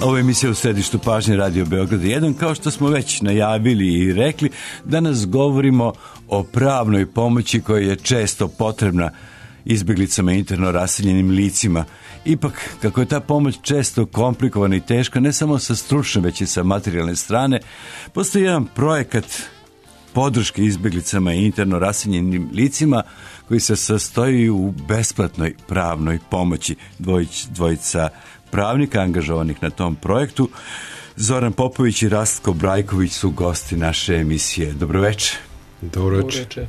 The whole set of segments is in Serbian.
Ovo je emisija u središtu pažnje Radio Beograd 1. Kao što smo već najavili i rekli, danas govorimo o pravnoj pomoći koja je često potrebna izbjeglicama i interno raseljenim licima. Ipak, kako je ta pomoć često komplikovana i teška, ne samo sa stručne, već i sa materijalne strane, postoji jedan projekat podrške izbjeglicama i interno raseljenim licima koji se sastoji u besplatnoj pravnoj pomoći. Dvojica pravnika angažovanih na tom projektu, Zoran Popović i Rastko Brajković, su gosti naše emisije. Dobroveče. Dobroveče.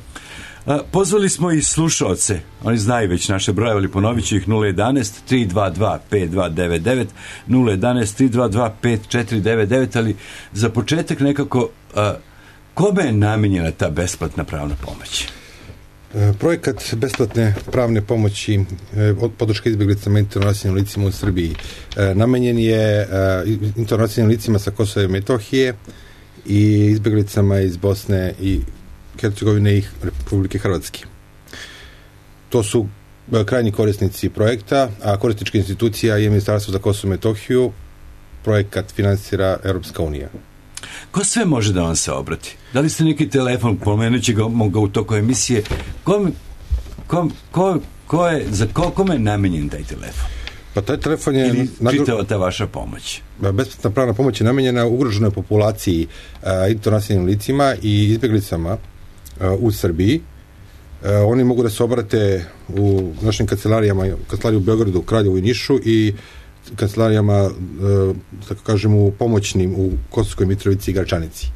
Pozvali smo i slušaoce, oni znaju već naše broje, ali ponovit ću ih: 011-322-5299, 011-322-5499, ali za početak nekako, kome je namijenjena ta besplatna pravna pomoć? Projekat besplatne pravne pomoći od podrške izbjeglicama i interno raseljenim licima u Srbiji namenjen je interno raseljenim licima sa Kosova i Metohije i izbjeglicama iz Bosne i Hercegovine i Republike Hrvatske. To su krajnji korisnici projekta, a korisnička institucija je Ministarstvo za Kosovo i Metohiju. Projekat finansira Europska unija. Ko sve može da vam se obrati? Da li ste neki telefon, pomenući ga u toku emisije, kome je namenjen taj telefon? Pa taj telefon je... Ili čitava ta vaša pomoć? Besplatna pravna pomoć je namenjena ugroženoj populaciji interno raseljenim licima i izbjeglicama u Srbiji. Oni mogu da se obrate u našim kancelarijama, kancelariju u Beogradu, Kraljevu i Nišu, i kancelarijama, tako kažemo, u pomoćnim u Kosovskoj Mitrovici i Gračanici.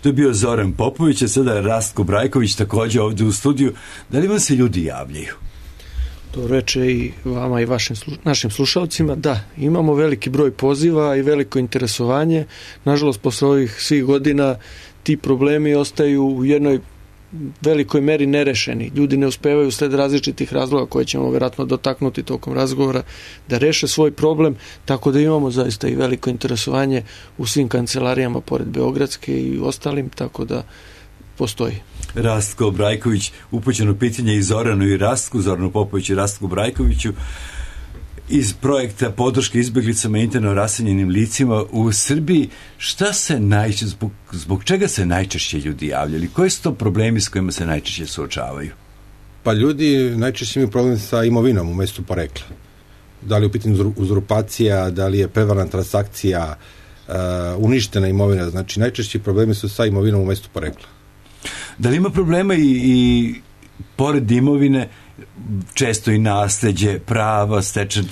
To je bio Zoran Popović, a sada je Rastko Brajković također ovdje u studiju. Da li vam se ljudi javljaju? To reče i vama i našim slušalcima. Da, imamo veliki broj poziva i veliko interesovanje. Nažalost, posle ovih svih godina ti problemi ostaju u jednoj velikoj meri nerešeni. Ljudi ne uspevaju sled različitih razloga koje ćemo vjerojatno dotaknuti tokom razgovora da reše svoj problem, tako da imamo zaista i veliko interesovanje u svim kancelarijama pored Beogradske i ostalim, tako da postoji. Rastko Brajković, upućeno pitanje i Zoranu i Rastku, Zoranu Popoviću i Rastku Brajkoviću, iz projekta podrške izbjeglicama i interno raseljenim licima u Srbiji. Šta se zbog čega se najčešće ljudi javljali? Koji su to problemi s kojima se najčešće suočavaju? Pa ljudi najčešće imaju problem sa imovinom u mjestu porekla. Da li je u pitanju uzurpacija, da li je prevarna transakcija, uništena imovina. Znači najčešći problemi su sa imovinom u mjestu porekla. Da li ima problema i pored imovine, često i nasleđe, prava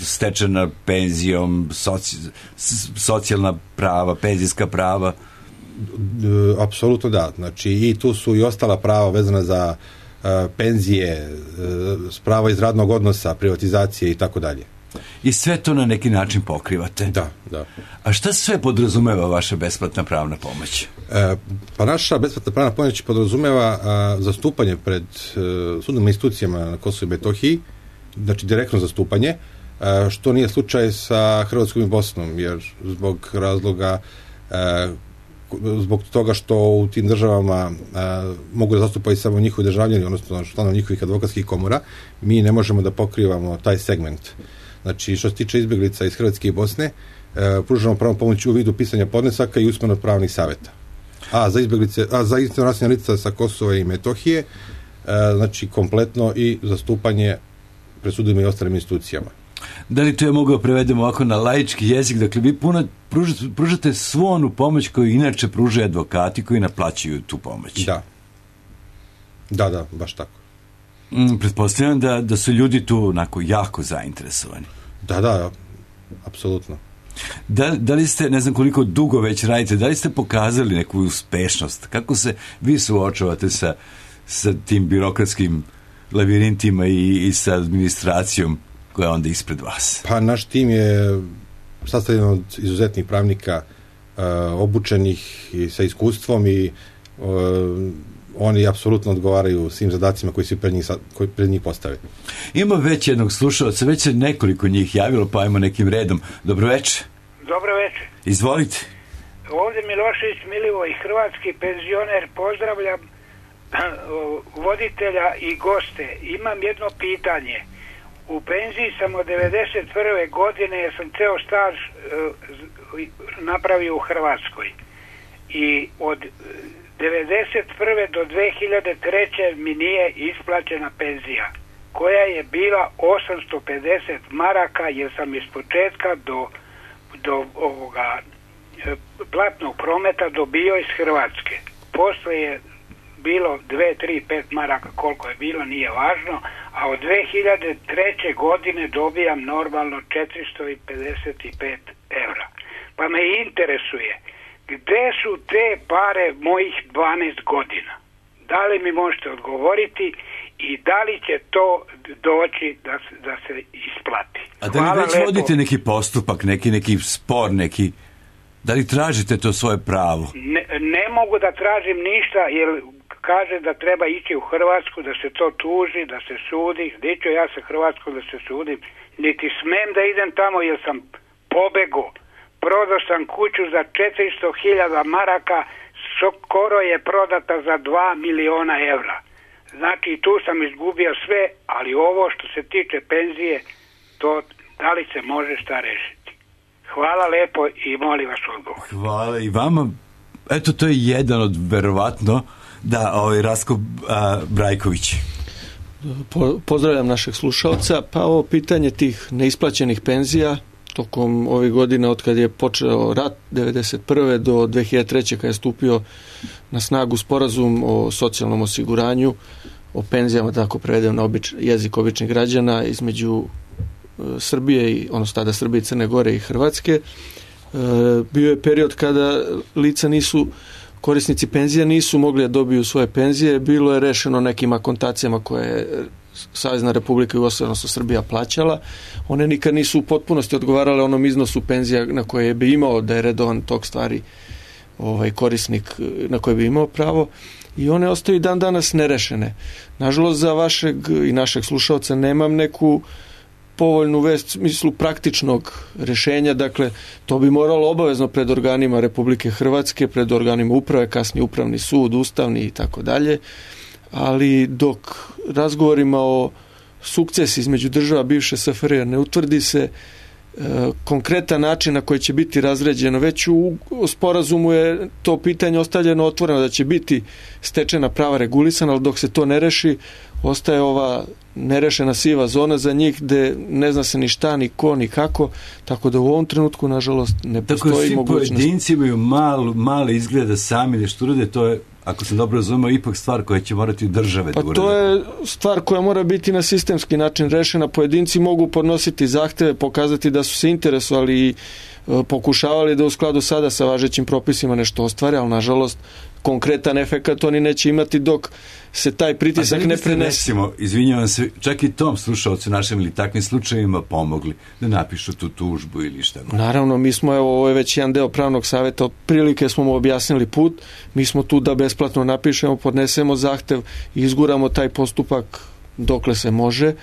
stečena penzijom, socijalna prava, penzijska prava? Apsolutno da. Znači i tu su i ostala prava vezana za penzije, prava iz radnog odnosa, privatizacije i tako dalje. I sve to na neki način pokrivate? Da. A šta sve podrazumeva vaša besplatna pravna pomoć? Pa naša besplatna pravna pomoć podrazumeva zastupanje pred sudnim institucijama na Kosovu i Metohiji, znači direktno zastupanje, što nije slučaj sa Hrvatskom i Bosnom, jer zbog razloga, zbog toga što u tim državama mogu da zastupaju samo njihovi državljani, odnosno članovi njihovih advokatskih komora, mi ne možemo da pokrivamo taj segment. Znači, što se tiče izbjeglica iz Hrvatske i Bosne, pružamo pravnu pomoć u vidu pisanja podnesaka i usmeno pravnih savjeta. A za interno raseljena lica sa Kosova i Metohije, znači kompletno i zastupanje pred sudovima i ostalim institucijama. Da li to je mogao prevedemo ovako na laički jezik? Dakle, vi pružate svu onu pomoć koju inače pružaju advokati koji naplaćuju tu pomoć. Da, baš tako. Pretpostavljam da su ljudi tu onako jako zainteresovani. Da, apsolutno. Da li ste, ne znam koliko dugo već radite, da li ste pokazali neku uspešnost? Kako se vi suočavate sa tim birokratskim lavirintima i sa administracijom koja je onda ispred vas? Pa naš tim je sastavljen od izuzetnih pravnika, obučenih i sa iskustvom, i oni apsolutno odgovaraju svim zadacima koji se pred njih postave. Ima već jednog slušalca, već se nekoliko njih javilo, pa ajmo nekim redom. Dobroveče. Dobroveče. Izvolite. Ovdje Milošević Milivoj, hrvatski penzioner, pozdravljam voditelja i goste. Imam jedno pitanje. U penziji sam od 91. godine, jer sam ceo staž napravio u Hrvatskoj. I od 91. do 2003. mi nije isplaćena penzija, koja je bila 850 maraka, jer sam iz početka do ovoga platnog prometa dobio iz Hrvatske. Posle je bilo 2, 3, 5 maraka, koliko je bilo, nije važno, a od 2003. godine dobijam normalno 455 evra. Pa me interesuje, gde su te pare mojih 12 godina? Da li mi možete odgovoriti i da li će to doći da se isplati? A da li već vodite neki postupak, neki spor, da li tražite to svoje pravo? Ne mogu da tražim ništa, jer kaže da treba ići u Hrvatsku, da se to tuži, da se sudi. Gdje ću ja sa Hrvatskom da se sudim? Niti smem da idem tamo, jer sam pobego. Prodao sam kuću za 400.000 maraka, skoro je prodata za 2 miliona evra. Znači, tu sam izgubio sve, ali ovo što se tiče penzije, to da li se može šta rešiti? Hvala lepo i molim vas odgovor. Hvala i vama. Eto, to je jedan od, verovatno, Rasko Brajković. Pozdravljam našeg slušalca. Pa ovo pitanje tih neisplaćenih penzija tokom ovih godina od kad je počeo rat 1991. do 2003. kad je stupio na snagu sporazum o socijalnom osiguranju, o penzijama, tako prevedem na jezik običnih građana, između Srbije, odnosno tada Srbije, Crne Gore i Hrvatske. Bio je period kada lica korisnici penzija nisu mogli da dobiju svoje penzije, bilo je rešeno nekim akontacijama koje je Savezna Republika Jugoslavija, odnosno Srbija, plaćala. One nikad nisu u potpunosti odgovarale onom iznosu penzija na koje bi imao da je redovan tok stvari korisnik na koje bi imao pravo, i one ostaju dan danas nerešene. Nažalost, za vašeg i našeg slušalca nemam neku povoljnu vest u smislu praktičnog rešenja. Dakle, to bi moralo obavezno pred organima Republike Hrvatske, pred organima uprave, kasnije Upravni sud, Ustavni i tako dalje. Ali dok razgovorima o sukcesi između država bivše SFRJ ne utvrdi se konkretan način na koji će biti razređeno, već u sporazumu je to pitanje ostavljeno otvoreno da će biti stečena prava regulisana, ali dok se to ne reši, ostaje ova nerešena siva zona za njih gde ne zna se ni šta, ni ko, ni kako, tako da u ovom trenutku, nažalost, ne postoji mogućnost. Tako pojedinci imaju male izgleda sami nešto urade, to je, ako sam dobro razumio, ipak stvar koja će morati države da urade. Pa to je stvar koja mora biti na sistemski način rešena. Pojedinci mogu podnositi zahteve, pokazati da su se interesovali i pokušavali da u skladu sada sa važećim propisima nešto ostvare, ali nažalost konkretan efekat oni neće imati dok se taj pritisak ne prenese. Izvinjavam se, čak i tom slušalcu našem ili takvim slučajevima pomogli da napišu tu tužbu ili šta? Naravno, mi smo, ovo je već jedan deo pravnog savjeta, otprilike smo mu objasnili put, mi smo tu da besplatno napišemo, podnesemo zahtev i izguramo taj postupak dokle se može,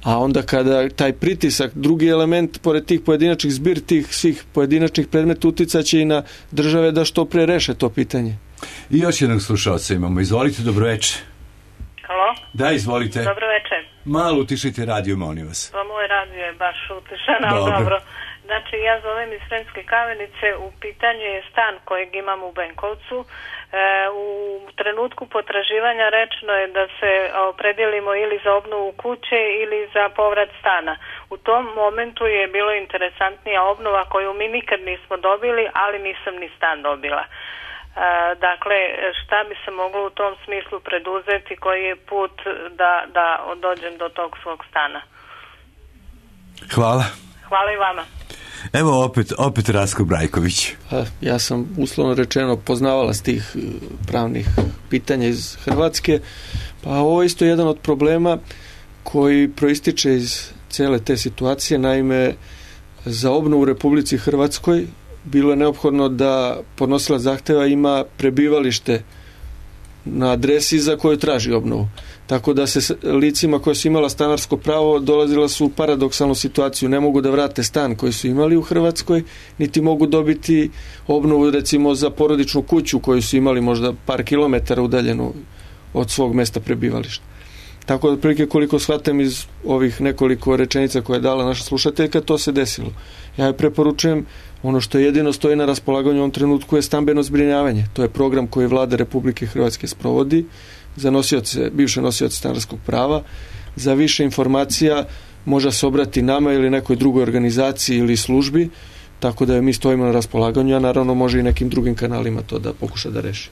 a onda kada taj pritisak, drugi element, pored tih pojedinačnih zbir, tih svih pojedinačnih predmeta uticaće i na države da što pre reše to pitanje. I još jednog slušalca imamo. Izvolite, dobroveče. Halo? Da, izvolite. Dobroveče. Malo utišajte radio, molim vas. Pa moj radio je baš utišan, ali dobro. Znači, ja zovem iz Sremske Kamenice, u pitanju je stan kojeg imam u Benkovcu. U trenutku potraživanja rečeno je da se opredjelimo ili za obnovu kuće ili za povrat stana. U tom momentu je bilo interesantnija obnova koju mi nikad nismo dobili, ali nisam ni stan dobila. Dakle, šta bi se moglo u tom smislu preduzeti, koji je put da dođem do tog svog stana? Hvala. Hvala i vama. Evo opet Rasko Brajković. Ja sam uslovno rečeno poznavala s tih pravnih pitanja iz Hrvatske, pa ovo je isto jedan od problema koji proističe iz cele te situacije. Naime, za obnovu u Republici Hrvatskoj bilo je neophodno da podnosilac zahteva ima prebivalište na adresi za koju traži obnovu. Tako da se licima koja su imala stanarsko pravo dolazila su u paradoksalnu situaciju. Ne mogu da vrate stan koji su imali u Hrvatskoj, niti mogu dobiti obnovu recimo za porodičnu kuću koju su imali možda par kilometara udaljenu od svog mesta prebivališta. Tako da otprilike koliko shvatam iz ovih nekoliko rečenica koje je dala naša slušateljka, to se desilo. Ja joj preporučujem, ono što jedino stoji na raspolaganju u ovom trenutku je stambeno zbrinjavanje. To je program koji Vlada Republike Hrvatske sprovodi za bivše nosioce stanarskog prava. Za više informacija može se obrati nama ili nekoj drugoj organizaciji ili službi, tako da mi stojimo na raspolaganju, a naravno može i nekim drugim kanalima to da pokuša da reši.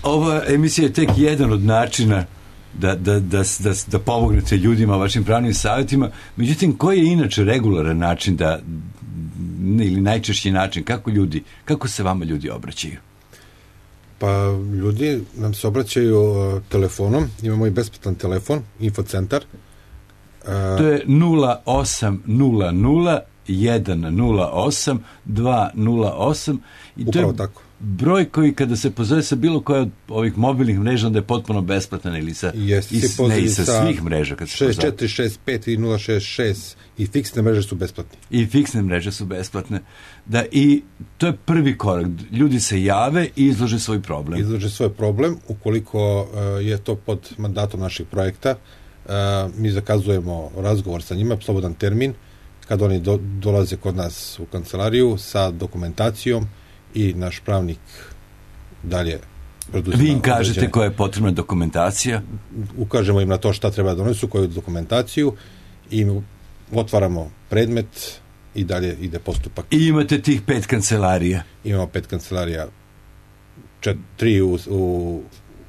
Ova emisija je tek jedan od načina da pomognete ljudima vašim pravnim savjetima. Međutim, koji je inače regularan način ili najčešći način kako se vama ljudi obraćaju? Pa ljudi nam se obraćaju telefonom, imamo i besplatan telefon, infocentar. To je 0800 108 208 i to je tako. Broj koji kada se pozove sa bilo koje od ovih mobilnih mreža, onda je potpuno besplatan ili sa svih mreža. 6465 i 066 i fiksne mreže su besplatne. I fiksne mreže su besplatne. Da, i to je prvi korak. Ljudi se jave i izlože svoj problem. Izlože svoj problem. Ukoliko je to pod mandatom našeg projekta, mi zakazujemo razgovor sa njima, slobodan termin, kad oni dolaze kod nas u kancelariju sa dokumentacijom i naš pravnik dalje preduzima. Vi im kažete koja je potrebna dokumentacija? Ukažemo im na to šta treba da donesu, koju dokumentaciju i otvaramo predmet i dalje ide postupak. I imate tih 5 kancelarija? Imamo 5 kancelarija, 3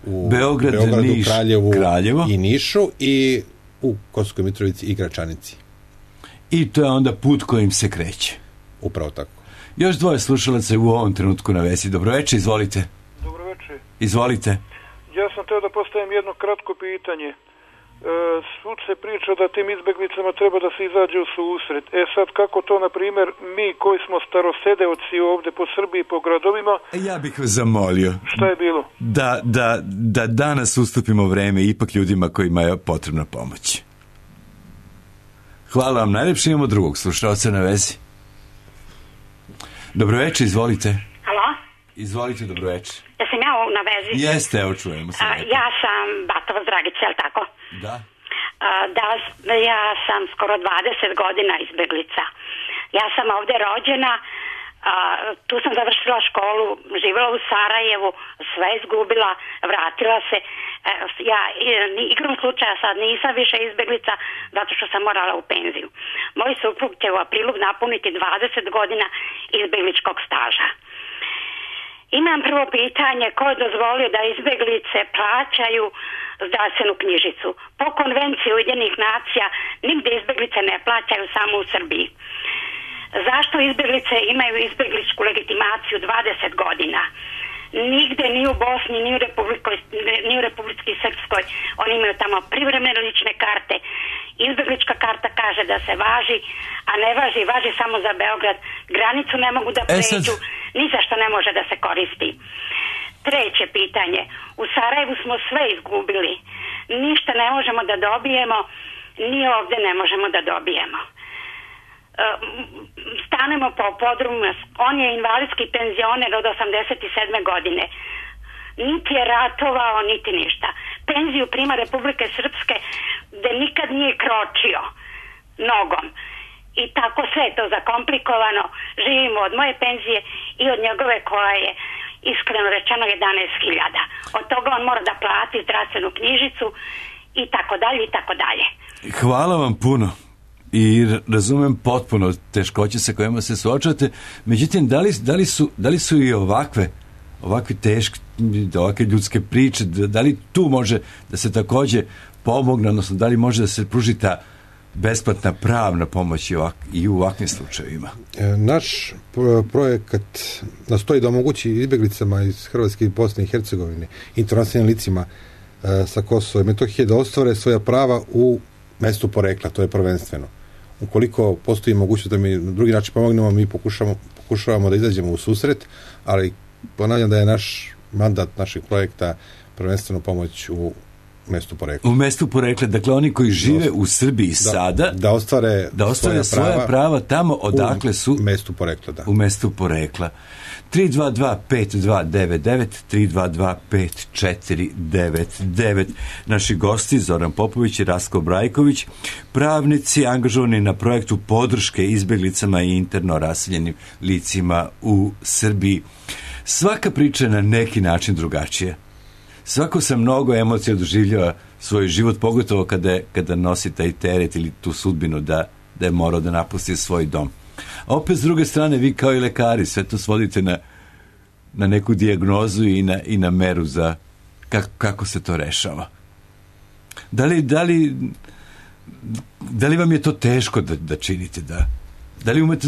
u Beogradu, Niš, Kraljevo i Nišu i u Kosovskoj Mitrovici i Gračanici. I to je onda put kojim se kreće. Upravo tako. Još dvoje slušalaca u ovom trenutku na vezi. Dobroveče, izvolite. Dobroveče. Izvolite. Ja sam teo da postavim jedno kratko pitanje. Svud se priča da tim izbeglicama treba da se izađe u susret. Sad kako to, na primjer, mi koji smo starosedeoci ovde po Srbiji, po gradovima... Ja bih vas zamolio. Šta je bilo? Da danas ustupimo vreme ipak ljudima kojima je potrebna pomoć. Hvala vam najlepše, imamo drugog slušalca na vezi. Dobroveče, izvolite. Halo? Izvolite, dobroveče. Ja sam ja na vezi. Jeste, evo čujemo se. Ja sam Batova Dragica, je li tako? Da. Ja sam skoro 20 godina izbeglica. Ja sam ovde rođena, tu sam završila školu, živjela u Sarajevu, sve izgubila, vratila se. Ja igrom slučaja sad nisam više izbeglica zato što sam morala u penziju. Moj suprug će u aprilu napuniti 20 godina izbegličkog staža. Imam prvo pitanje, ko je dozvolio da izbeglice plaćaju zdravstvenu knjižicu? Po konvenciji Ujedinjenih nacija nigde izbeglice ne plaćaju, samo u Srbiji. Zašto izbeglice imaju izbegličku legitimaciju 20 godina? Nigde, ni u Bosni, ni u Republici Srpskoj. Oni imaju tamo privremene lične karte. Izbeglička karta kaže da se važi, a ne važi samo za Beograd. Granicu ne mogu da pređu, ni za što ne može da se koristi. Treće pitanje. U Sarajevu smo sve izgubili. Ništa ne možemo da dobijemo, ni ovde ne možemo da dobijemo. Stanemo po podrumu, on je invalidski penzioner od 87. godine. Niti je ratovao, niti ništa. Penziju prima Republike Srpske gde nikad nije kročio nogom. I tako sve je to zakomplikovano. Živimo od moje penzije i od njegove koja je iskreno rečeno 11.000. Od toga on mora da plati zdravstvenu knjižicu i tako dalje i tako dalje. Hvala vam puno. I razumem potpuno teškoće sa kojima se suočavate. Međutim, da li su i ovakve teške, ovakve ljudske priče, da li tu može da se takođe pomogne, odnosno da li može da se pruži ta besplatna pravna pomoć i u ovakvim slučajevima? Naš projekat nastoji da omogući izbeglicama iz Hrvatske i Bosne i Hercegovine, internacionalnim licima sa Kosova i Metohije da ostvare svoja prava u mestu porekla, to je prvenstveno. Ukoliko postoji mogućnost da mi na drugi način pomognemo, mi pokušavamo da izađemo u susret, ali ponavljam da je naš mandat našeg projekta prvenstveno pomoć u mestu porekla. U mestu porekla, dakle oni koji žive u Srbiji sada, da ostvare svoja prava tamo odakle su u mestu porekla, da. U mestu porekla. 322-5299, 322-5499. Naši gosti Zoran Popović i Rastko Brajković, pravnici angažovani na projektu podrške izbjeglicama i interno raseljenim licima u Srbiji. Svaka priča je na neki način drugačija. Svako sa mnogo emocija doživljava svoj život, pogotovo kada nosi taj teret ili tu sudbinu da je morao da napusti svoj dom. A opet s druge strane, vi kao i lekari sve to svodite na neku dijagnozu i na meru za kako se to rešava. Da li vam je to teško da činite? Da li umete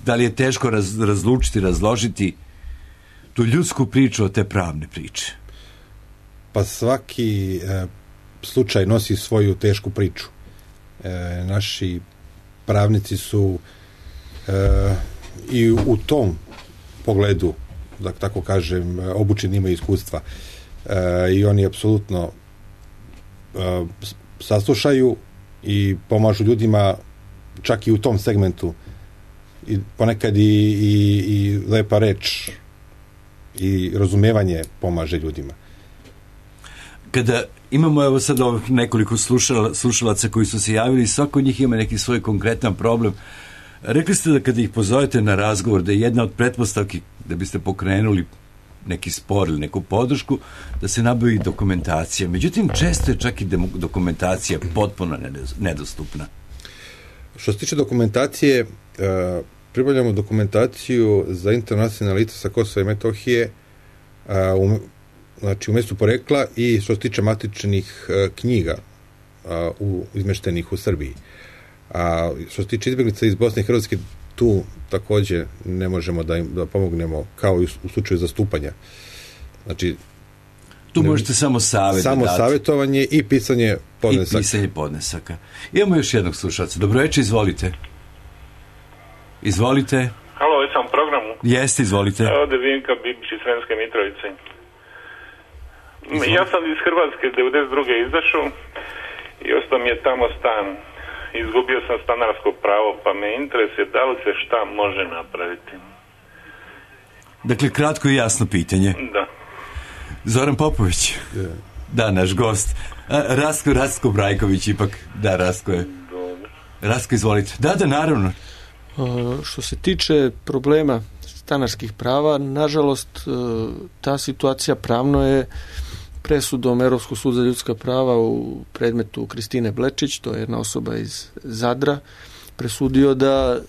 da li je teško razlučiti, razložiti tu ljudsku priču od te pravne priče? Pa svaki slučaj nosi svoju tešku priču. Naši pravnici su i u tom pogledu, da tako kažem, obučeni, imaju iskustva. I oni apsolutno saslušaju i pomažu ljudima čak i u tom segmentu. I ponekad i lepa reč i razumevanje pomaže ljudima. Kada imamo evo sad ovih nekoliko slušalaca koji su se javili, svako od njih ima neki svoj konkretan problem. Rekli ste da kada ih pozovete na razgovor, da je jedna od pretpostavki da biste pokrenuli neki spor ili neku podršku, da se nabavi dokumentacija. Međutim, često je čak i dokumentacija potpuno nedostupna. Što se tiče dokumentacije, pribavljamo dokumentaciju za internacionalna lica sa Kosova i Metohije, znači u mestu porekla, i što se tiče matičnih knjiga izmeštenih u Srbiji. A što se tiče izbjeglica iz Bosne i Hrvatske, tu također ne možemo da pomognemo, kao i u slučaju zastupanja. Znači, tu možete samo savjet samo dati. Savjetovanje i pisanje podnesaka. I pisanje podnesaka. Imamo još jednog slušalca. Dobro večer, izvolite. Izvolite. Halo, već sam u programu. Jeste, izvolite. Ovdje Vinka Bibić iz Sremske Mitrovice. Ja sam iz Hrvatske 92. izašao i ostao mi je tamo stan. Izgubio sam stanarsko pravo, pa me interesuje da li se šta može napraviti. Dakle, kratko i jasno pitanje. Da. Zoran Popović. Yeah. Da, naš gost. Rastko Brajković ipak. Da, Rastko je. Dobro. Rastko, izvolite. Da, naravno. Što se tiče problema stanarskih prava, nažalost, ta situacija pravno je presudom Europskog suda za ljudska prava u predmetu Kristine Blečić, to je jedna osoba iz Zadra, presudio da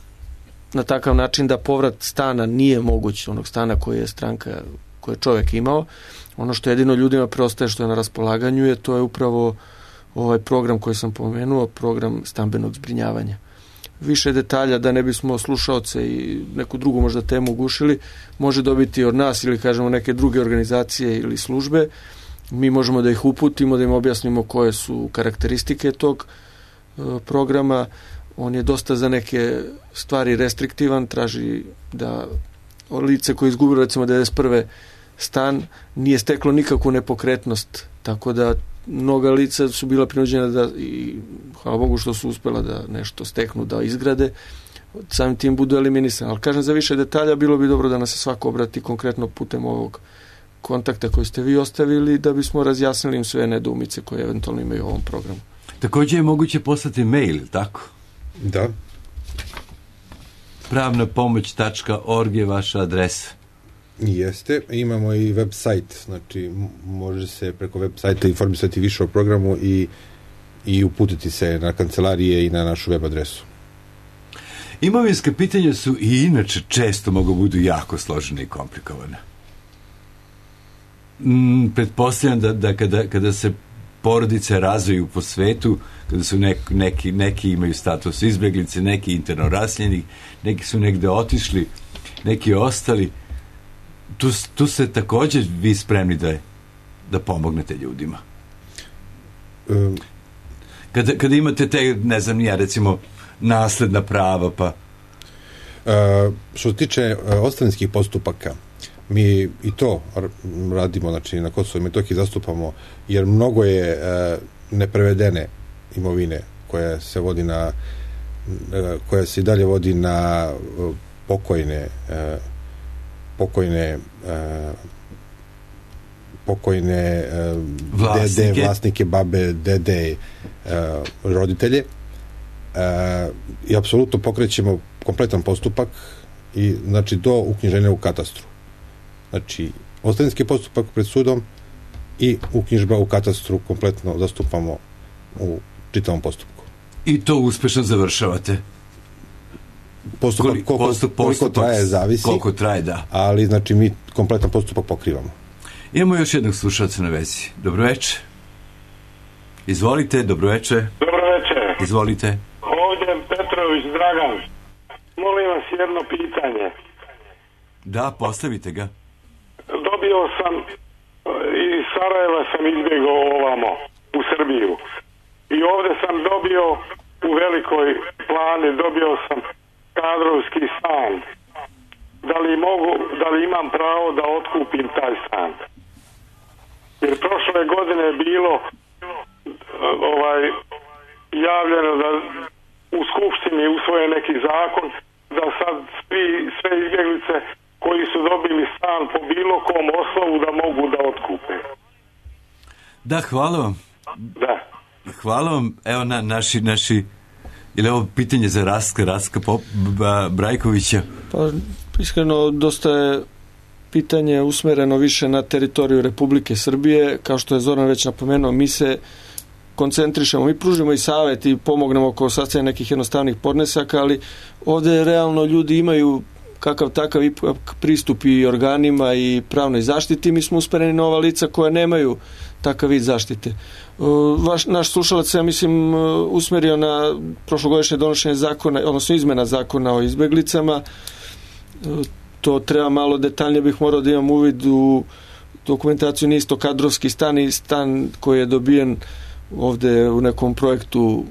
na takav način da povrat stana nije moguć, onog stana koji je stranka, koji je čovjek imao. Ono što jedino ljudima preostaje što je na raspolaganju je, to je upravo ovaj program koji sam pomenuo, program stambenog zbrinjavanja. Više detalja, da ne bismo slušaoce i neku drugu možda temu ugušili, može dobiti od nas ili kažemo neke druge organizacije ili službe. Mi možemo da ih uputimo, da im objasnimo koje su karakteristike tog programa. On je dosta za neke stvari restriktivan, traži da lice koje izgubilo recimo 91. stan nije steklo nikakvu nepokretnost, tako da mnoga lica su bila prinuđena da, i hvala Bogu što su uspela da nešto steknu, da izgrade, samim tim budu eliminisani. Ali kažem, za više detalja bilo bi dobro da nas se svako obrati konkretno putem ovog kontakta koji ste vi ostavili, da bismo razjasnili im sve nedoumice koje eventualno imaju u ovom programu. Također je moguće poslati mail, tako? Da. pravnapomoć.org je vaša adresa. Jeste. Imamo i web sajt, znači može se preko web sajta informisati više o programu i uputiti se na kancelarije i na našu web adresu. Imovinska pitanja su i inače često mogu budu jako složene i komplikovane. Pretpostavljam da kada se porodice razviju po svetu, kada su neki imaju status izbjeglice, neki interno raseljeni, neki su negde otišli, neki ostali, tu ste također vi spremni da pomognete ljudima. Kada imate te, ne znam ja, recimo nasledna prava, pa... Što se tiče ostavinskih postupaka, Mi i to radimo, znači na Kosovo i Metohiji zastupamo, jer mnogo je neprevedene imovine koja se vodi na koja se i dalje vodi na pokojne vlasnike, babe, dede, roditelje, i apsolutno pokrećemo kompletan postupak i znači do uknjiženja u katastru. Znači, ostavinski postupak pred sudom i uknjižba u katastru kompletno zastupamo u čitavom postupku. I to uspešno završavate? Koliko traje, zavisi. Koliko traje, da. Ali, znači, mi kompletan postupak pokrivamo. Imamo još jednog slušalca na vezi. Dobroveče. Izvolite, dobroveče. Dobroveče. Izvolite. Ovdje Petrović Dragan. Molim vas jedno pitanje. Da, postavite ga. Dobio sam, iz Sarajeva sam izbjegao ovamo, u Srbiju. I ovdje sam dobio, u Velikoj Plani, dobio sam kadrovski stan. Da li imam pravo da otkupim taj stan? Jer prošle godine je bilo javljeno da u Skupštini usvoje neki zakon da sad sve izbjeglice koji su dobili stan po bilo kom osnovu da mogu da otkupe. Da, hvala vam. Da. Hvala vam. Evo naši ili ovo pitanje za Rastka Brajkovića? Pa, iskreno, dosta je pitanje usmereno više na teritoriju Republike Srbije. Kao što je Zoran već napomenuo, mi se koncentrišemo, mi pružimo i savjet i pomognemo oko sastavljanja nekih jednostavnih podnesaka, ali ovdje realno ljudi imaju kakav takav pristup i organima i pravnoj zaštiti. Mi smo usmereni na ova lica koja nemaju takav vid zaštite. Naš slušalac, ja mislim, usmerio na prošlogodišnje donošenje zakona, odnosno izmena zakona o izbjeglicama. To treba malo detaljnije, bih morao da imam uvid u dokumentaciju, nije isto kadrovski stan i stan koji je dobijen ovdje u nekom projektu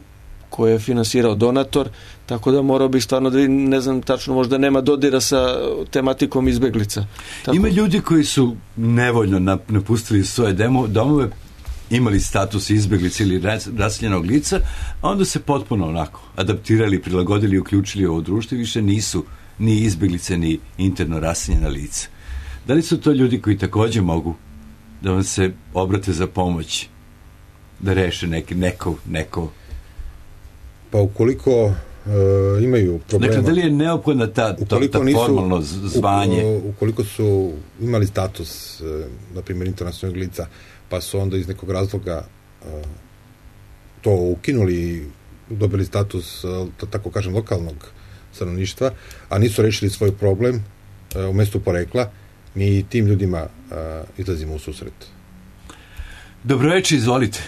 koje je finansirao donator, tako da morao bih stvarno da vidim, ne znam tačno, možda nema dodira sa tematikom izbjeglica. Ima ljudi koji su nevoljno napustili svoje domove, imali status izbjeglice ili raseljenog lica, a onda se potpuno onako adaptirali, prilagodili, uključili ovo društvo i više nisu ni izbjeglice, ni interno raseljena lica. Da li su to ljudi koji također mogu da vam se obrate za pomoć, da reše neko? Pa ukoliko imaju problema... Dakle, da li je neophodna ta formalno zvanje? Ukoliko su imali status, na primjer, internacionalnog lica, pa su onda iz nekog razloga to ukinuli i dobili status, tako kažem, lokalnog stanovništva, a nisu rešili svoj problem u mjestu porekla, mi tim ljudima izlazimo u susret. Dobroveče, izvolite.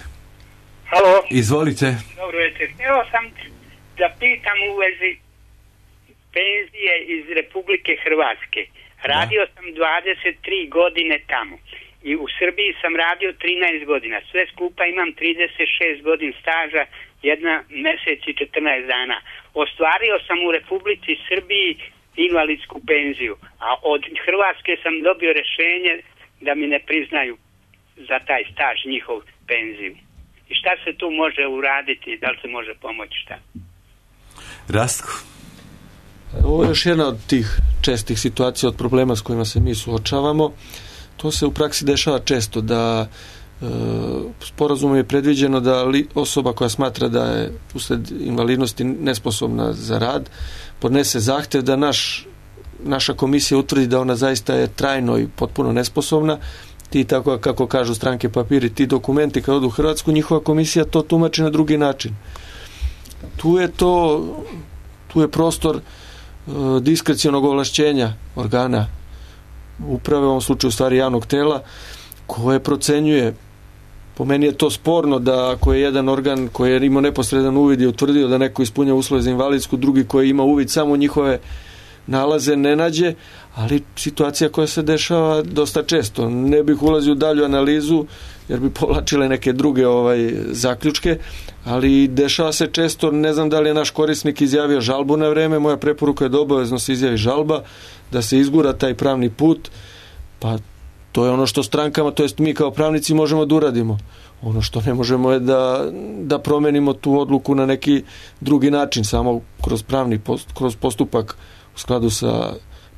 Halo. Izvolite. Dobroveče. Evo sam da pitam u vezi penzije iz Republike Hrvatske. Radio sam 23 godine tamo i u Srbiji sam radio 13 godina. Sve skupa imam 36 godina staža, 1 mjesec i 14 dana. Ostvario sam u Republici Srbiji invalidsku penziju, a od Hrvatske sam dobio rješenje da mi ne priznaju za taj staž njihov penziju. I šta se tu može uraditi, da li se može pomoći, šta? Rastko. Ovo je još jedna od tih čestih situacija, od problema s kojima se mi suočavamo. To se u praksi dešava često, da sporazumom je predviđeno da osoba koja smatra da je usled invalidnosti nesposobna za rad podnese zahtjev da naša komisija utvrdi da ona zaista je trajno i potpuno nesposobna. Ti, tako kako kažu stranke papiri, ti dokumenti kad odu u Hrvatsku, njihova komisija to tumači na drugi način. Tu je prostor diskrecionog ovlašćenja organa uprave, u ovom slučaju stvari javnog tela, koje procenjuje. Po meni je to sporno da ako je jedan organ koji je imao neposredan uvid i utvrdio da neko ispunja uslove za invalidsku, drugi koji ima uvid samo u njihove nalaze ne nađe, ali situacija koja se dešava dosta često. Ne bih ulazio u dalju analizu jer bi povlačile neke druge zaključke, ali dešava se često, ne znam da li je naš korisnik izjavio žalbu na vreme, moja preporuka je da obavezno se izjavi žalba, da se izgura taj pravni put, Pa to je ono što strankama, to jest mi kao pravnici možemo da uradimo. Ono što ne možemo je da promenimo tu odluku na neki drugi način, samo kroz postupak u skladu sa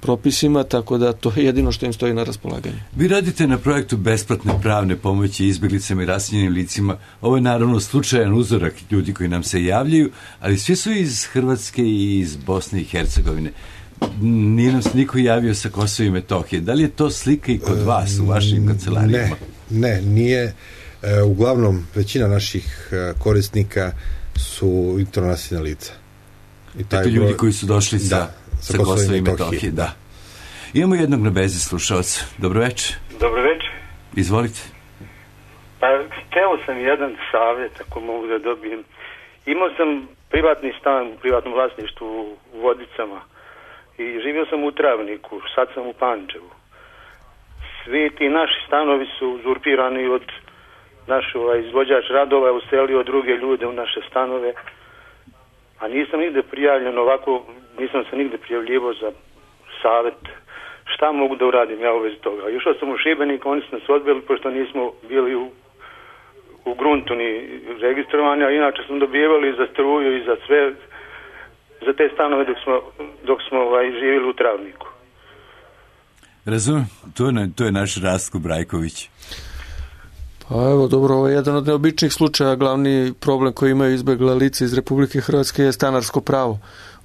propisima, tako da to je jedino što im stoji na raspolaganju. Vi radite na projektu besplatne pravne pomoći izbjeglicama i raseljenim licima. Ovo je naravno slučajan uzorak ljudi koji nam se javljaju, ali svi su iz Hrvatske i iz Bosne i Hercegovine. Nije nam se niko javio sa Kosova i Metohije. Da li je to slika i kod vas u vašim kancelarijama? Ne, nije. Uglavnom, većina naših korisnika su internacionalna lica. I taj ljudi koji su došli sa Kosova i Metohije. Da. Imamo jednog na vezi slušalca. Dobro večer. Dobro večer. Izvolite. Pa, hteo sam jedan savjet, ako mogu da dobijem. Imao sam privatni stan u privatnom vlasništvu u Vodicama i živio sam u Travniku, sad sam u Pančevu. Svi ti naši stanovi su uzurpirani od našeg izvođač radova je uselio druge ljude u naše stanove, a nisam nigde prijavljen ovako, nisam se nigde prijavljivo za savjet. Šta mogu da uradim ja u vezi toga? Išao sam u Šibenik, oni su nas odbili pošto nismo bili u gruntu ni registrovani, a inače smo dobivali za struju i za sve, za te stanove dok smo živjeli u Travniku. Razumem, to je naš Rastko Brajković. Pa evo, dobro, ovo je jedan od neobičnih slučaja. Glavni problem koji imaju izbjegla lica iz Republike Hrvatske je stanarsko pravo.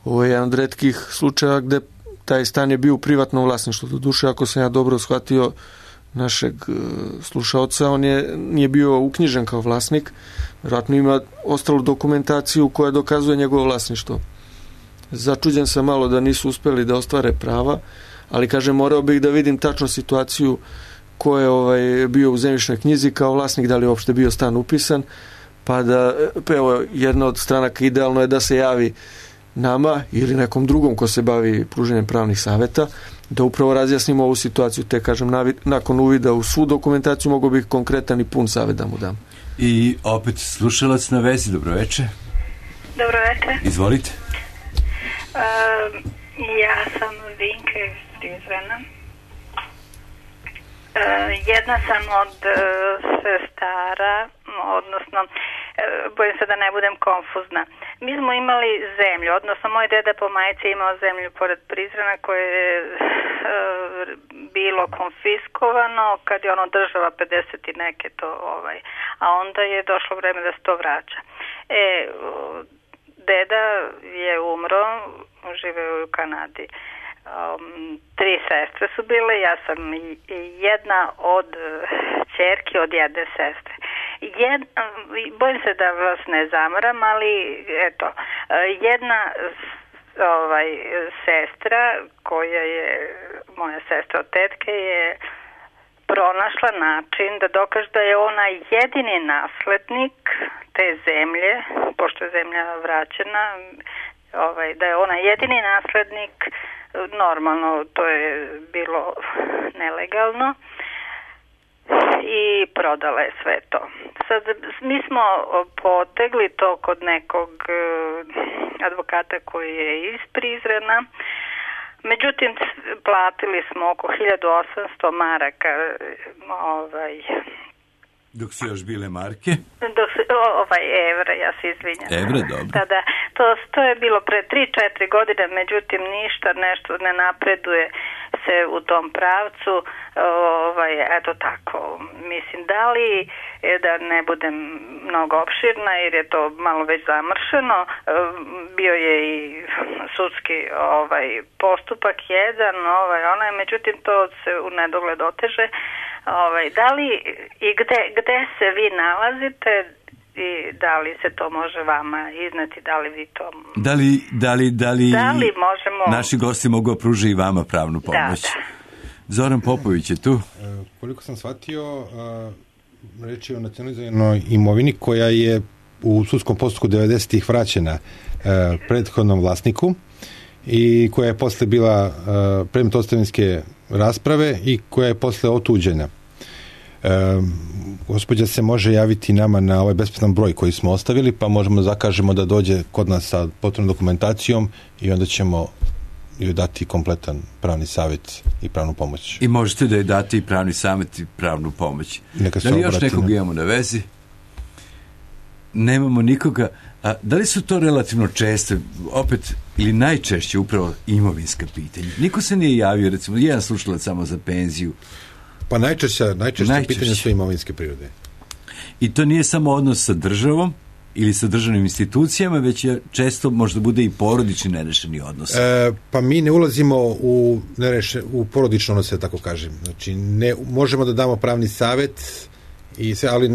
Ovo je jedan od retkih slučaja gde taj stan je bio u privatnom vlasništvu. Doduše, ako sam ja dobro shvatio našeg slušaoca, on nije bio uknjižen kao vlasnik. Vjerojatno ima ostalu dokumentaciju koja dokazuje njegovo vlasništvo. Začuđen sam malo da nisu uspeli da ostvare prava, ali kažem, morao bih da vidim tačno situaciju ko je bio u zemljišnoj knjizi kao vlasnik, da li je uopšte bio stan upisan, pa evo, jedna od stranaka idealno je da se javi nama ili nekom drugom ko se bavi pruženjem pravnih savjeta, da upravo razjasnimo ovu situaciju, te kažem, nakon uvida u svu dokumentaciju mogu bih konkretan i pun savjet da mu dam. I opet slušalac na vezi, dobro večer. Dobro večer. Izvolite. Ja sam Vinka iz Prizrena. Jedna sam od sestara, odnosno bojim se da ne budem konfuzna. Mi smo imali zemlju, odnosno moj deda po majci imao zemlju pored Prizrena koje je bilo konfiskovano kad je ono država 50 i neke to a onda je došlo vreme da se to vraća. Deda je umro, živeo u Kanadi. 3 sestre su bile, ja sam jedna od ćerki od jedne sestre. Bojim se da vas ne zamaram, ali eto, jedna sestra koja je moja sestra od tetke je pronašla način da dokaže da je ona jedini naslednik te zemlje, pošto je zemlja vraćena, da je ona jedini naslednik. Normalno, to je bilo nelegalno i prodala je sve to. Sad, mi smo potegli to kod nekog advokata koji je iz Prizrena. Međutim, platili smo oko 1800 maraka dok su još bile marke? Evra, ja se izvinjam. Evra, dobro. Da, to je bilo pre 3-4 godine, međutim nešto ne napreduje se u tom pravcu. Eto tako, mislim, da li, da ne budem mnogo opširna, jer je to malo već zamršeno, bio je i sudski postupak jedan, međutim to se u nedogled oteže. Da li i gde se vi nalazite i da li se to može vama izneti, da li vi to... Da li možemo... naši gosti mogu pružiti i vama pravnu pomoć? Da. Zoran Popović je tu. Koliko sam shvatio, reč je o nacionalizovanoj imovini koja je u sudskom postupku 90-ih vraćena prethodnom vlasniku i koja je posle bila predmet ostavinske rasprave i koja je posle otuđena. Gospođa se može javiti nama na ovaj besplatan broj koji smo ostavili, pa možemo zakažemo da dođe kod nas sa potrebnom dokumentacijom i onda ćemo joj dati kompletan pravni savjet i pravnu pomoć. I možete da joj dati i pravni savjet i pravnu pomoć. Da li još nekog imamo na vezi? Nemamo nikoga. A da li su to relativno česte, opet, ili najčešće upravo imovinska pitanja? Niko se nije javio, recimo, jedan slušalac samo za penziju. Pa najčešće pitanja su imovinske prirode. I to nije samo odnos sa državom ili sa državnim institucijama, već je često možda bude i porodični nerešeni odnos. Pa mi ne ulazimo u porodične odnose, tako kažem. Znači, možemo da damo pravni savjet, ali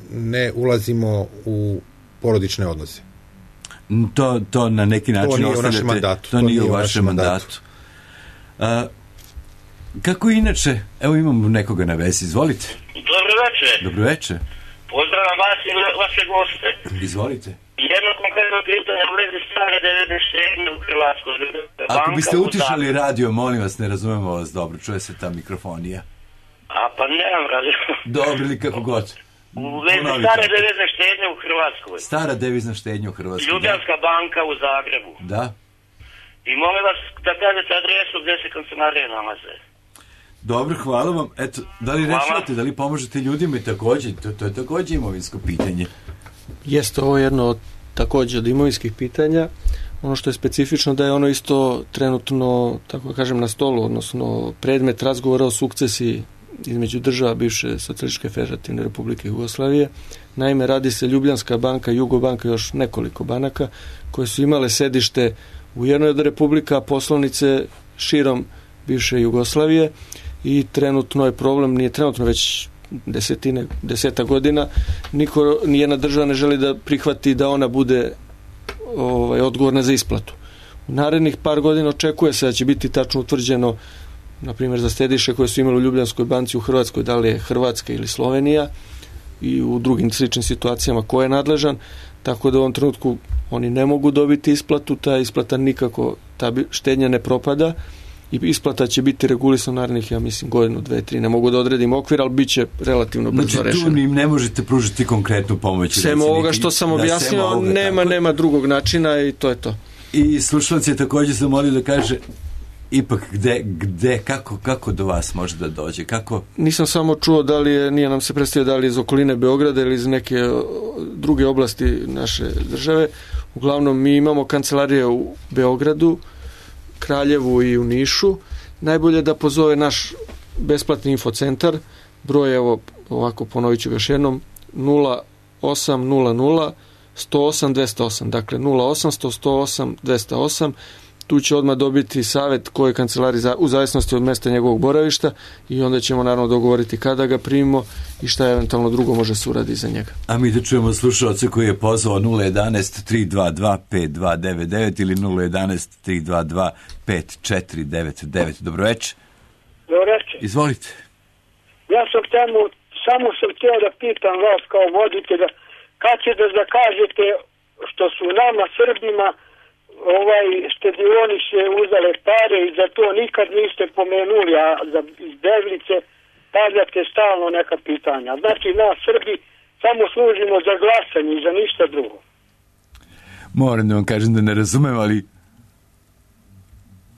ne ulazimo u porodične odnose. To na neki način to nije u našem mandatu. To nije u vašem mandatu. Kako inače, evo imamo nekoga na vezi, izvolite. Dobro večer. Dobro večer. Pozdravam vas i vaše goste. Izvolite. Jedno konkretno pitanje u vezi stare 97. u Hrvatskoj. Ako biste utišali radio, molim vas, ne razumemo vas dobro, čuje se ta mikrofonija. A pa nemam radio. Dobro ili kako god. U vezi stare devizne štednje u Hrvatskoj. Stara devizna štednja u Hrvatskoj. Ljubljanska banka u Zagrebu. Da. I molim vas da kažete adresu gdje se kancelarije nalaze. Dobro, hvala vam. Eto, da li rešavate, da li pomožete ljudima i također, to je također imovinsko pitanje. Jeste, ovo je jedno također od imovinskih pitanja. Ono što je specifično da je ono isto trenutno, tako kažem, na stolu, odnosno predmet razgovora o sukcesiji između država bivše Socijalističke federativne Republike Jugoslavije. Naime, radi se Ljubljanska banka, Jugobanka i još nekoliko banaka koje su imale sedište u jednoj od republika, poslovnice širom bivše Jugoslavije i trenutno je problem, nije trenutno već deseta godina, nijedna država ne želi da prihvati da ona bude odgovorna za isplatu. U narednih par godina očekuje se da će biti tačno utvrđeno, na primjer za štediše koje su imali u Ljubljanskoj banci u Hrvatskoj, da li je Hrvatska ili Slovenija i u drugim sličnim situacijama ko je nadležan, tako da u ovom trenutku oni ne mogu dobiti isplatu, ta isplata nikako, ta štednja ne propada i isplata će biti regulisana narednih, ja mislim, godinu, 2, 3, ne mogu da odredim okvir, ali bit će relativno brzo rešeno. Znači tu im ne možete pružiti konkretnu pomoć. Sem ovoga što sam objasnio, nema drugog načina i to je to. I slušalac je također zamolio da kaže ipak gde, kako do vas može da dođe, kako? Nisam samo čuo da li je, nije nam se predstavio da li je iz okoline Beograda ili iz neke druge oblasti naše države. Uglavnom mi imamo kancelarije u Beogradu, Kraljevu i u Nišu. Najbolje da pozove naš besplatni infocentar, broj, evo ovako ponovit ću još jednom, 0800 108 208, dakle 0800 108 208. Tu će odmah dobiti savjet koje kancelari u zavisnosti od mjesta njegovog boravišta i onda ćemo naravno dogovoriti kada ga primimo i šta eventualno drugo može se uraditi za njega. A mi da čujemo slušalce koji je pozvao 011 322 5299 ili 011 322 5499. Dobro večer. Dobro večer. Izvolite. Ja sam samo sam htio da pitam vas kao voditelja, kad ćete da kažete što su nama Srbima štedioni se uzale pare i za to nikad niste pomenuli, a za izbeglice stavljate stalno neka pitanja. Znači, nas Srbi samo služimo za glasanje i za ništa drugo. Moram da vam kažem da ne razumem,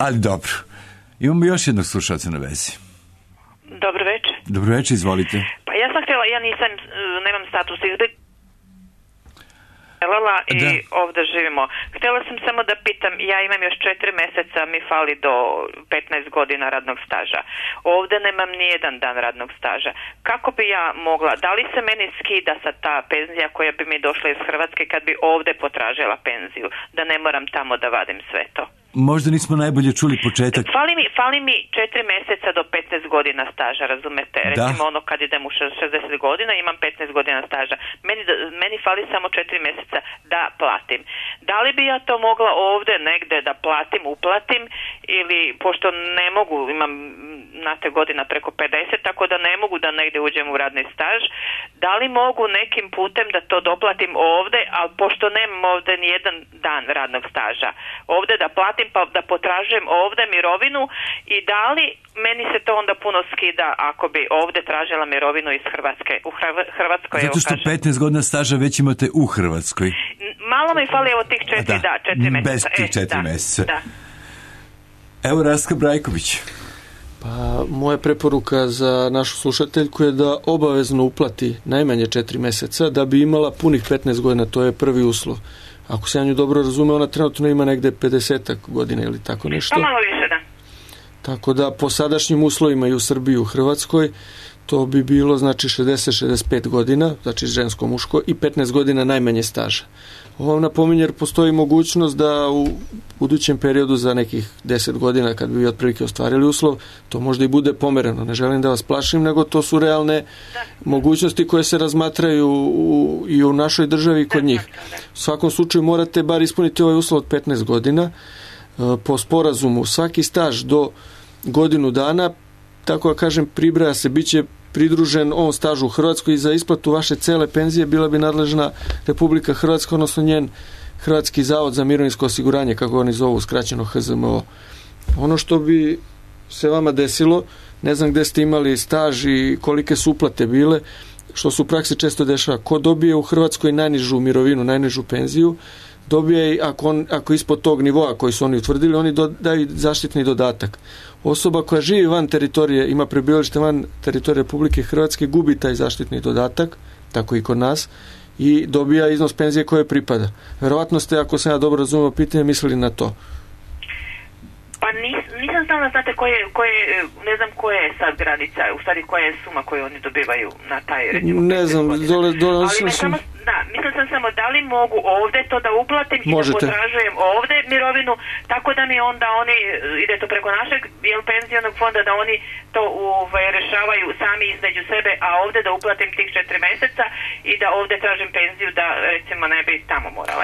ali dobro. Imamo još jednog slušalca na vezi. Dobro večer. Dobro večer, izvolite. Pa ja sam htjela, nemam status izbjeglice i ovdje živimo. Htjela sam samo da pitam, ja imam još 4 mjeseca, mi fali do 15 godina radnog staža. Ovdje nemam ni jedan dan radnog staža. Kako bi ja mogla, da li se meni skida sa ta penzija koja bi mi došla iz Hrvatske kad bi ovdje potražila penziju, da ne moram tamo da vadim sve to? Možda nismo najbolje čuli početak. Fali mi 4 mjeseca do 15 godina staža, razumete? Recimo ono kad idem u 60 godina imam 15 godina staža. Meni fali samo 4 mjeseca da platim. Da li bi ja to mogla ovdje negdje da uplatim ili, pošto ne mogu, imam znate godina preko 50, tako da ne mogu da negdje uđem u radni staž, da li mogu nekim putem da to doplatim ovdje, ali pošto nemam ovdje ni jedan dan radnog staža, ovdje da platim pa da potražujem ovdje mirovinu i da li meni se to onda puno skida ako bi ovdje tražila mirovinu iz Hrvatske? U Hrvatskoj, zato što 15 godina staža već imate u Hrvatskoj. Malo mi fali tih 4 mjeseca. Bez tih 4 mjeseca. Da. Evo Rastka Brajković. Pa, moja preporuka za našu slušateljku je da obavezno uplati najmanje 4 meseca da bi imala punih 15 godina, to je prvi uslov. Ako se ja nju dobro razume, ona trenutno ima negde 50 godina ili tako nešto. Pa malo više, da. Tako da po sadašnjim uslovima i u Srbiji i u Hrvatskoj to bi bilo znači 60-65 godina, znači žensko-muško i 15 godina najmanje staža. Ovo vam napominje jer postoji mogućnost da u budućem periodu za nekih 10 godina kad bi vi otprilike ostvarili uslov, to možda i bude pomereno. Ne želim da vas plašim, nego to su realne mogućnosti koje se razmatraju i u našoj državi i kod njih. U svakom slučaju morate bar ispuniti ovaj uslov od 15 godina. Po sporazumu svaki staž do godinu dana, tako da kažem, pribraja se, bit će pridružen on stažu u Hrvatskoj i za isplatu vaše cele penzije bila bi nadležna Republika Hrvatska, odnosno njen Hrvatski zavod za mirovinsko osiguranje, kako oni zovu, skraćeno HZMO. Ono što bi se vama desilo, ne znam gde ste imali staž i kolike su uplate bile, što se u praksi često dešava. Ko dobije u Hrvatskoj najnižu mirovinu, najnižu penziju, dobije i ako ispod tog nivoa koji su oni utvrdili, oni daju zaštitni dodatak. Osoba koja živi van teritorije, ima prebivalište van teritorije Republike Hrvatske, gubi taj zaštitni dodatak, tako i kod nas, i dobija iznos penzije koje pripada. Verovatno ste, ako sam ja dobro razumio pitanje, mislili na to. Pa nisam znala, znate, ne znam koja je sad granica, u stvari koja je suma koju oni dobivaju na taj, recimo, ne znam, mislim sam samo da li mogu ovde to da uplatim i da potražujem ovde mirovinu, tako da mi onda oni, ide to preko našeg penzionog fonda, da oni to rešavaju sami između sebe, a ovde da uplatim tih 4 meseca i da ovde tražim penziju da recimo ne bi tamo morala.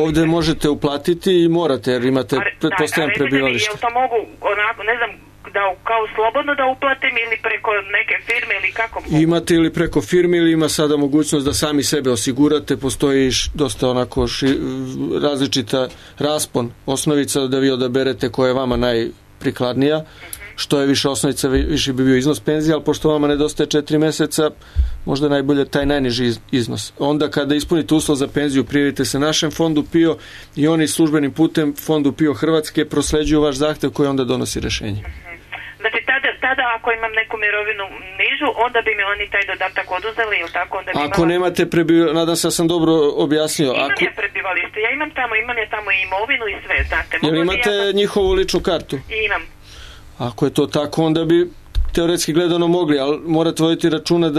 Ovde možete uplatiti i morate, jer imate pretpostavljam prebivalište. Jel to mogu onako, ne znam, da kao slobodno da uplatim ili preko neke firme ili kako mogu? Imate ili preko firme ili ima sada mogućnost da sami sebe osigurate, postoji dosta onako različita raspon osnovica da vi odaberete koja je vama najprikladnija. Što je više osnovica, više bi bio iznos penzije, ali pošto vama nedostaje 4 meseca, možda najbolje taj najniži iznos. Onda kada ispunite uslov za penziju, prijavite se našem fondu PIO i oni službenim putem fondu PIO Hrvatske prosleđuju vaš zahtev koji onda donosi rešenje. Znači tada ako imam neku mirovinu nižu, onda bi mi oni taj dodatak oduzeli ili tako? Onda bi ako nemate nadam se da sam dobro objasnio. Imam ja prebivalište, imam ja tamo i imovinu i sve, znate. Jel imate njihovu ličnu kartu? Imam. Ako je to tako, onda bi teoretski gledano mogli, ali morate voditi računa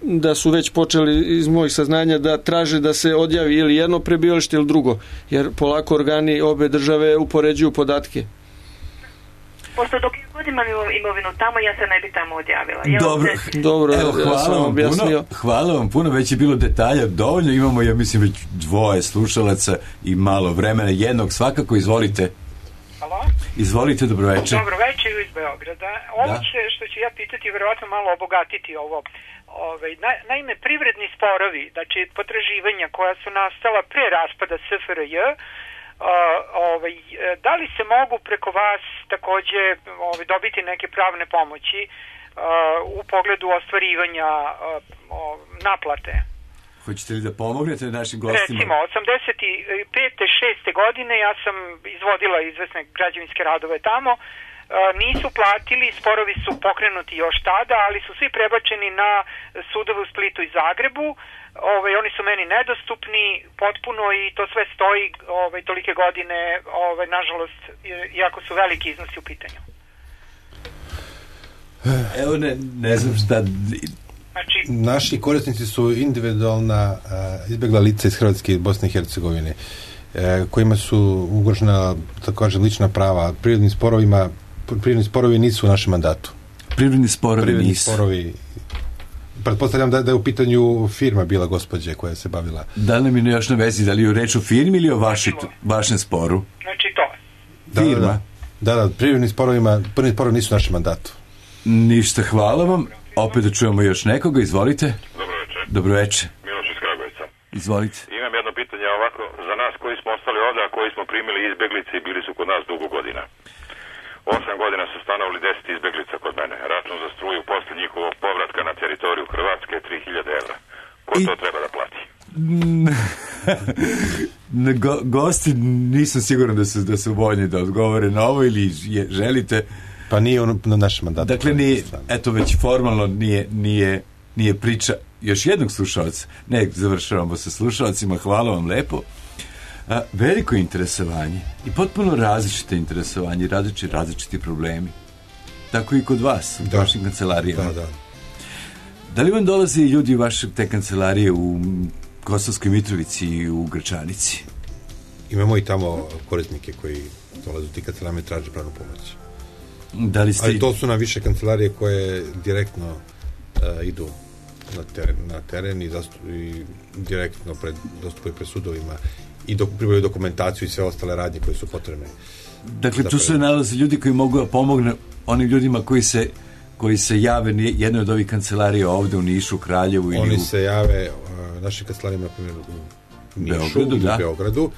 da su već počeli iz mojih saznanja da traže da se odjavi ili jedno prebivalište ili drugo, jer polako organi obe države upoređuju podatke. Pošto dok god imam imovinu tamo, ja se ne bi tamo odjavila. Dobro, evo, hvala vam puno, već je bilo detalja dovoljno, imamo, ja mislim, već 2 slušalaca i malo vremena, jednog svakako, izvolite. Halo? Izvolite, dobroveče. Dobroveče iz Beograda. Ovo što ću ja pitati vjerojatno malo obogatiti ovo. Naime, privredni sporovi, znači potraživanja koja su nastala pre raspada SFRJ, da li se mogu preko vas takođe dobiti neke pravne pomoći u pogledu ostvarivanja naplate? Hoćete li da pomognete našim gostima? Recimo, 85. 6. godine ja sam izvodila izvesne građevinske radove tamo, nisu platili, sporovi su pokrenuti još tada, ali su svi prebačeni na sudove u Splitu i Zagrebu. Oni su meni nedostupni potpuno i to sve stoji tolike godine, nažalost, iako su veliki iznosi u pitanju. Evo ne znam šta... Naši korisnici su individualna izbjegla lica iz Hrvatske i Bosne i Hercegovine, kojima su ugrožena, tako kažem, lična prava. Privredni sporovi nisu u našem mandatu. Privredni sporovi pretpostavljam da je u pitanju firma bila gospođe koja se bavila. Da li mi još na vezi, da li je reč o firmi ili o vašem sporu? Znači to. Firma? Da, privredni sporovi nisu u našem mandatu. Ništa, hvala vam. Opet da čujemo još nekoga, izvolite. Dobroveče. Miloš iz Kragujevca. Izvolite. Imam jedno pitanje ovako, za nas koji smo ostali ovdje, a koji smo primili izbjeglice i bili su kod nas dugo godina. 8 godina su stanovali 10 izbjeglica kod mene. Račun za struju posle njihovog povratka na teritoriju Hrvatske je 3000 €. Ko to treba da plati? gosti nisam siguran da su voljni da odgovore na ovo ili želite. Pa nije na našem mandatu. Dakle, eto već formalno nije priča još jednog slušalca. Ne, završavamo sa slušalcima, hvala vam lepo. Veliko interesovanje i potpuno različite interesovanje, različiti problemi. Tako i kod vas, u vašim kancelarijama. Da li vam dolaze i ljudi vaše te kancelarije u Kosovskoj Mitrovici i u Gračanici? Imamo i tamo korisnike koji dolaze u ti kancelarije i traže pravnu pomoć. Ali to su na više kancelarije koje direktno idu na teren i direktno dostupaju pred sudovima i pribavljaju dokumentaciju i sve ostale radnje koje su potrebne. Dakle, tu se nalaze ljudi koji mogu da pomognu onim ljudima koji se jave jednoj od ovih kancelarija ovde u Nišu, Kraljevu ili Oni se jave našim kancelarijama, na primjer, u Nišu i Beogradu,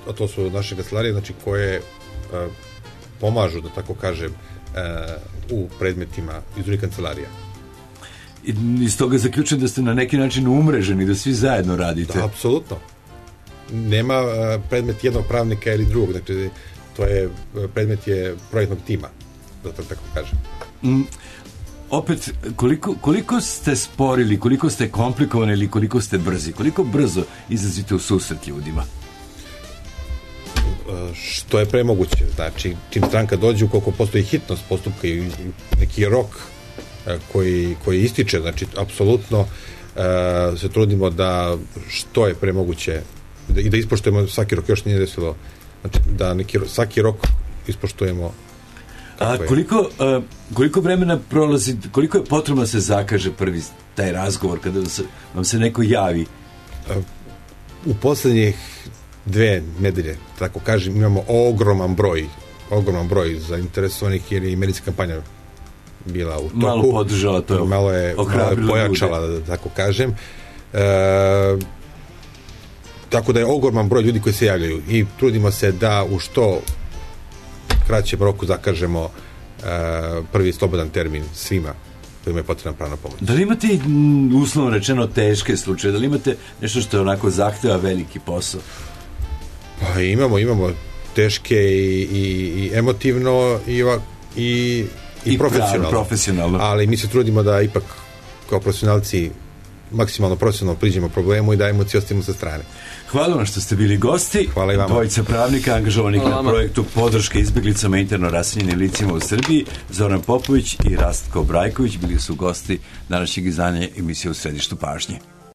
a to su naše kancelarije, znači, koje pomažu, da tako kažem, u predmetima iz drugih kancelarija. I iz toga zaključujem da ste na neki način umreženi, da svi zajedno radite. Da, apsolutno. Nema predmet jednog pravnika ili drugog, znači predmet je projektnog tima, da tako kažem. Opet, koliko ste sporili, koliko ste komplikovani ili koliko ste brzi? Koliko brzo izlazite u susret ljudima? Što je premoguće. Znači, čim stranka dođe, ukoliko postoji hitnost postupka i neki rok koji ističe, znači, apsolutno se trudimo da što je premoguće i da ispoštujemo svaki rok, još nije desilo, znači, da svaki rok ispoštujemo. A koliko vremena prolazi, koliko je potrebno da se zakaže prvi taj razgovor kada vam se neko javi? U poslednjih 2 nedelje, tako kažem, imamo ogroman broj zainteresovanih, jer je i medijska kampanja bila u toku. Malo podržala to. Malo je pojačala, da tako kažem. Tako da je ogroman broj ljudi koji se javljaju i trudimo se da u što kraćem roku zakažemo prvi slobodan termin svima kojima je potrebna pravna pomoć. Da li imate uslovno rečeno teške slučaje? Da li imate nešto što je onako zahteva veliki posao? Pa imamo teške i emotivno i profesionalno. Ali mi se trudimo da ipak kao profesionalci maksimalno profesionalno priđemo problemu i da emociju ostavimo sa strane. Hvala vam što ste bili gosti. Hvala i vama. Dvojica pravnika angažovanih na projektu podrške izbeglicama interno raseljenim licima u Srbiji, Zoran Popović i Rastko Brajković, bili su gosti današnjeg izdanja emisije U središtu pažnje.